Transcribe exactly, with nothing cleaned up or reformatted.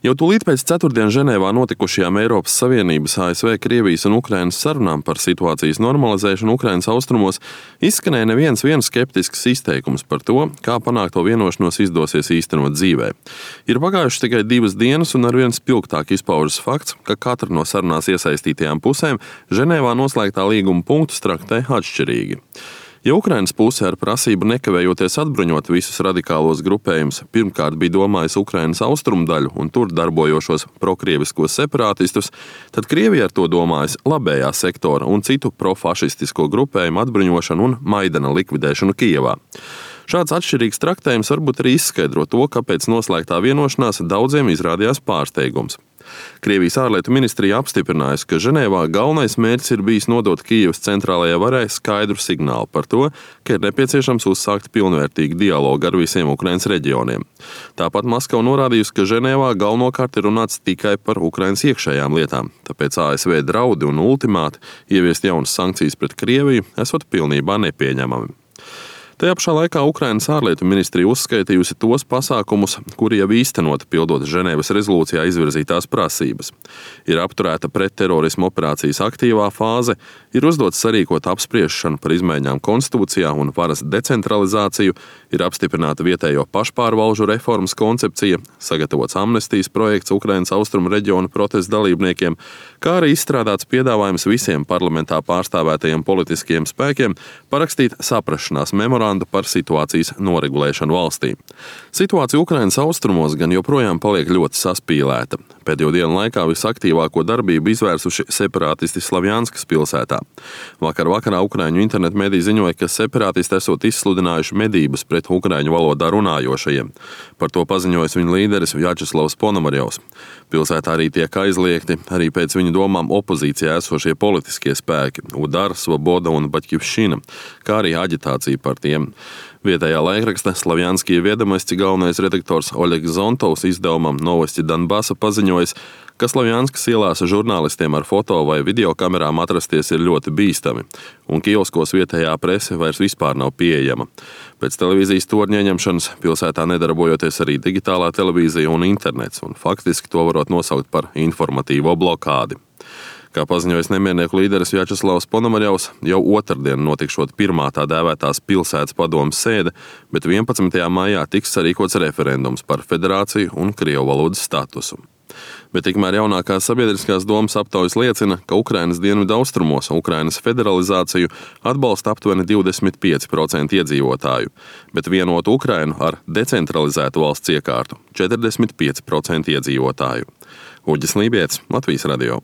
Jau tūlīt pēc ceturtdien Ženēvā notikušajām Eiropas Savienības, A S V, Krievijas un Ukrainas sarunām par situācijas normalizēšanu Ukrainas austrumos izskanēja neviens viens skeptisks izteikums par to, kā panākto vienošanos izdosies īstenot dzīvē. Ir pagājušas tikai divas dienas un arvien spilgtāk izpaužas fakts, ka katra no sarunās iesaistītajām pusēm Ženēvā noslēgtā līguma punktus traktē atšķirīgi. Ja Ukrainas puse ar prasību nekavējoties atbruņot visus radikālos grupējumus pirmkārt bija domājis Ukrainas austrumu daļu un tur darbojošos prokrieviskos separātistus, tad Krievija ar to domājis labējā sektora un citu profašistisko grupējumu atbruņošanu un Maidana likvidēšanu Kijevā. Šāds atšķirīgs traktējums varbūt arī izskaidro to, kāpēc noslēgtā vienošanās daudziem izrādījās pārsteigums. Krievijas ārlietu ministrija apstiprinājusi, ka Ženēvā galvenais mērķis ir bijis nodot Kijevas centrālajai varai skaidru signālu par to, ka ir nepieciešams uzsākt pilnvērtīgu dialogu ar visiem Ukrainas reģioniem. Tāpat Maskava norādījusi, ka Ženēvā galvenokārt ir runāts tikai par Ukrainas iekšējām lietām, tāpēc A S V draudi un ultimāti ieviest jaunas sankcijas pret Krieviju esot pilnībā nepieņemami. Tajā pašā laikā Ukrainas ārlietu ministrija uzskaitījusi tos pasākumus, kuri jau īstenoti pildot Ženēvas rezolūcijā izvirzītās prasības. Ir apturēta pretterorisma operācijas aktīvā fāze, ir uzdots sarīkot apspriešanu par izmaiņām konstitūcijā un varas decentralizāciju, ir apstiprināta vietējo pašpārvalžu reformas koncepcija, sagatavots amnestijas projekts Ukrainas austrumu reģionu protestu dalībniekiem, kā arī izstrādāts piedāvājums visiem parlamentā pārstāvētajiem politiskiem spēkiem parakstīt saprašanās memorandu par situācijas noregulēšanu valstī. Situācija Ukrainas austrumos gan joprojām paliek ļoti saspīlēta. Pēdējo dienu laikā visaktīvāko darbību izvērsuši separātisti Slavjanskas pilsētā. Vakar vakarā ukraiņu internetu mediji ziņoja, ka separātisti esot izsludinājuši medības pret ukraiņu valodā runājošajiem. Par to paziņojis viņa līderis Vjačeslavs Ponomarjovs. Pilsētā arī tiek aizliegti arī pēc viņu domām opozīcijā esošie politiskie spēki – Udar, Svoboda un Baķivšina, kā arī aģitācija par tiem. Vietējā laikraksta Slavjanskija Viedamasci galvenais redaktors Oļegs Zontovs izdevumam Novosti Donbasa paziņojis, ka Slavjanskas ielās žurnālistiem ar foto vai videokamerām atrasties ir ļoti bīstami, un kioskos vietējā prese vairs vispār nav pieejama. Pēc televīzijas torņa ieņemšanas pilsētā nedarbojoties arī digitālā televīzija un internets, un faktiski to varot nosaukt par informatīvo blokādi. Kā paziņojis nemiernieku līderis Vjačeslavs Ponomarjovs, jau otrdien notikšot pirmā tā dēvētās pilsētas padomes sēde, bet vienpadsmitajā maijā tiks sarīkots referendums par federāciju un krievu valodas statusu. Bet tikmēr jaunākās sabiedriskās domas aptaujas liecina, ka Ukrainas dienvidu austrumos Ukrainas federalizāciju atbalsta aptuveni divdesmit pieci procenti iedzīvotāju, bet vienotu Ukrainu ar decentralizētu valsts iekārtu četrdesmit pieci procenti iedzīvotāju. Uģis Lībietis, Latvijas radio.